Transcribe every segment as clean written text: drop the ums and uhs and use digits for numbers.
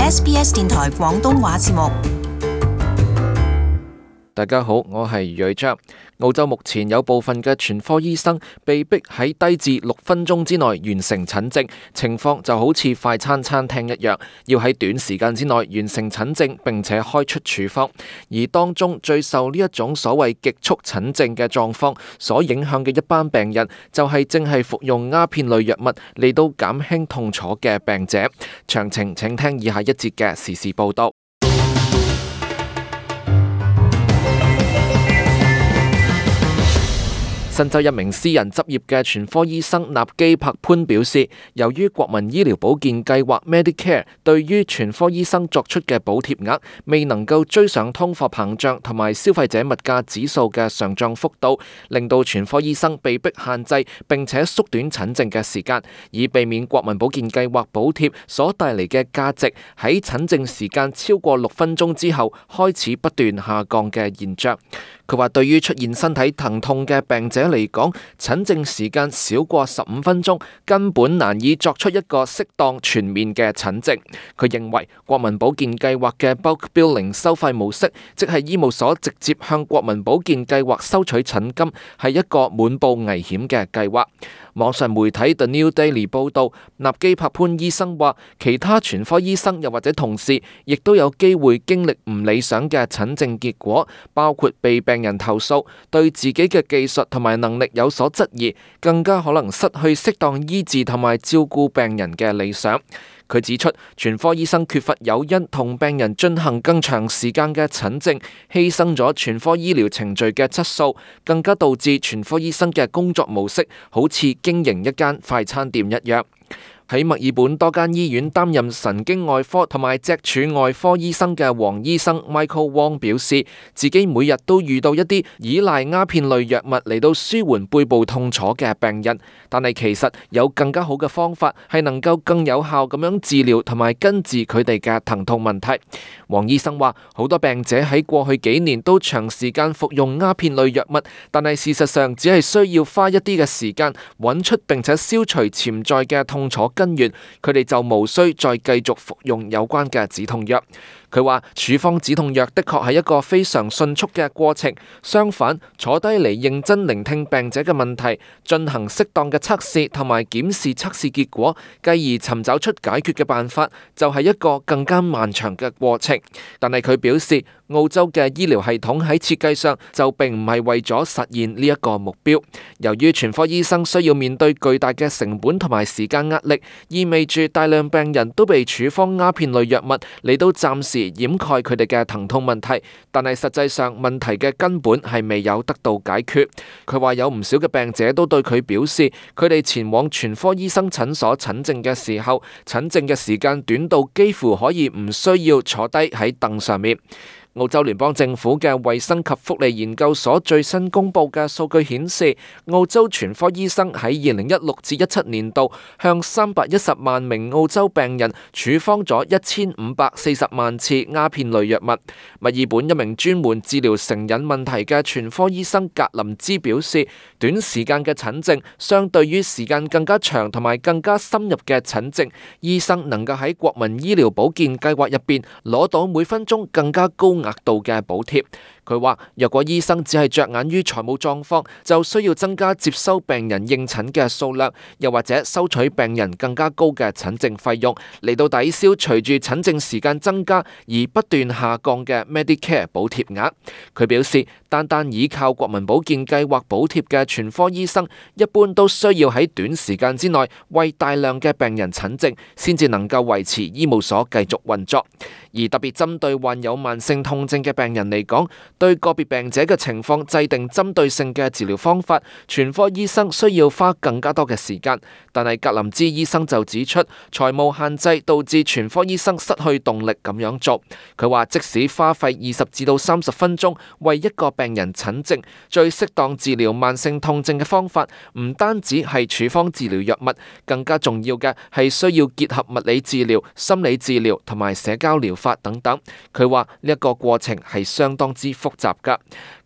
SBS 電台廣東話節目。大家好，我係余瑞章。澳洲目前有部分嘅全科醫生被逼喺低至6分鐘之內完成診症，情況就好似快餐餐廳一樣，要喺短時間之內完成診症並且開出處方。而當中最受呢一種所謂極速診症嘅狀況所影響嘅一班病人，就係正係服用鴉片類藥物嚟到減輕痛楚嘅病者。詳情請聽以下一節嘅時事報道。新州一名私人執業嘅全科醫生納基柏潘表示，由於國民醫療保健計劃 Medicare 對於全科醫生作出嘅補貼額未能夠追上通貨膨脹同埋消費者物價指數嘅上漲幅度，令到全科醫生被迫限制並且縮短診症嘅時間，以避免國民保健計劃補貼所帶嚟嘅價值喺診症時間超過6分鐘之後開始不斷下降嘅現象。佢話對於出現身體疼痛嘅病者嚟講，診症時間少過15分鐘，根本難以作出一個適當全面嘅診症。佢認為國民保健計劃嘅 bulk billing 收費模式，即係醫務所直接向國民保健計劃收取診金，係一個滿布危險嘅計劃。網上媒體 The New Daily 報導，納基柏潘醫生話，其他全科醫生又或者同事，亦都有機會經歷唔理想嘅診症結果，包括被病人投訴，對自己嘅技術同埋能力有所質疑，更加可能失去適當醫治同埋照顧病人嘅理想。佢指出，全科醫生缺乏誘因同病人進行更長時間嘅診症，犧牲咗全科醫療程序嘅質素，更加導致全科醫生嘅工作模式好似經營一間快餐店一樣。喺墨爾本多間醫院擔任神經外科同埋脊柱外科醫生嘅黃醫生 Michael Wong 表示，自己每日都遇到一啲依賴鴉片類藥物嚟到舒緩背部痛楚嘅病人，但係其實有更加好嘅方法係能夠更有效咁樣治療同埋根治佢哋嘅疼痛問題。黃醫生話，好多病者喺過去幾年都長時間服用鴉片類藥物，但係事實上只係需要花一啲嘅時間揾出並且消除潛在嘅痛楚根源，佢哋就無需再繼續服用有關嘅止痛藥。佢話處方止痛藥的確係一個非常迅速嘅過程，相反，坐低嚟認真聆聽病者嘅問題，進行適當嘅測試同埋檢視測試結果，繼而尋找出解決嘅辦法，就係一個更加漫長嘅過程。但係佢表示，澳洲嘅醫療系統喺設計上就並唔係為咗實現呢一個目標。由於全科醫生需要面對巨大嘅成本同埋時間壓力，意味住大量病人都被處方鴉片類藥物嚟到暫時掩蓋佢哋嘅疼痛問題，但係實際上問題嘅根本係未有得到解決。佢話有唔少嘅病者都對佢表示，佢哋前往全科醫生診所診症嘅時候，診症嘅時間短到幾乎可以唔需要坐低喺凳上面。澳洲聯邦政府嘅衛生及福利研究所最新公布嘅數據顯示，澳洲全科醫生喺2016至17年度向310萬名澳洲病人處方咗1540萬次鴉片類藥物。墨爾本一名專門治療成癮問題嘅全科醫生格林茲表示，短時間嘅診症相對於時間更加長同埋更加深入嘅診症，醫生能夠喺國民醫療保健計劃入邊攞到每分鐘更加高額度嘅補貼。佢話，若果醫生只係着眼於財務狀況，就需要增加接收病人應診嘅數量，又或者收取病人更加高嘅診症費用，嚟到抵消隨住診症時間增加而不斷下降嘅 Medicare 補貼額。佢表示，單單依靠國民保健計劃補貼嘅全科醫生，一般都需要喺短時間之內為大量嘅病人診症，先至能夠維持醫務所繼續運作。而特別針對患有慢性痛症嘅病人嚟講，對個別病者嘅情況制定針對性嘅治療方法，全科醫生需要花更加多嘅時間。但係格林茲醫生就指出，財務限制導致全科醫生失去動力咁樣做。佢話，即使花費20至到30分鐘為一個病人診症，最適當治療慢性痛症嘅方法，唔單止係處方治療藥物，更加重要嘅係需要結合物理治療、心理治療同埋社交療法等等。佢話呢一個過程係相當之複複雜㗎。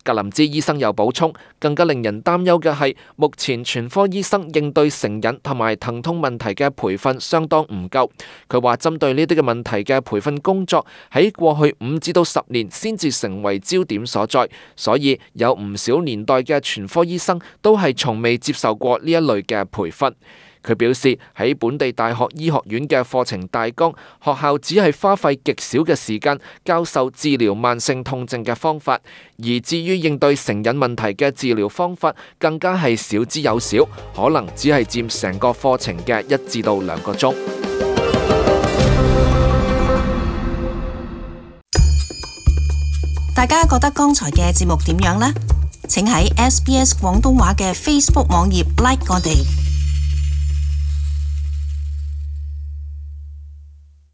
格林茲醫生又補充，更加令人擔憂嘅係，目前全科醫生應對成癮同埋疼痛問題嘅培訓相當唔夠。佢話針對呢啲嘅問題嘅培訓工作喺過去5至到10年先至成為焦點所在，所以有唔少年代嘅全科醫生都係從未接受過呢一類嘅培訓。佢表示喺本地大學醫學院嘅課程大綱，學校只係花費極少嘅時間教授治療慢性痛症嘅方法，而至於應對成癮問題嘅治療方法，更加係少之又少，可能只係佔成個課程嘅1至到2個鐘。大家覺得剛才嘅節目點樣呢？請喺SBS 廣東話嘅 Facebook 網頁 like 我哋。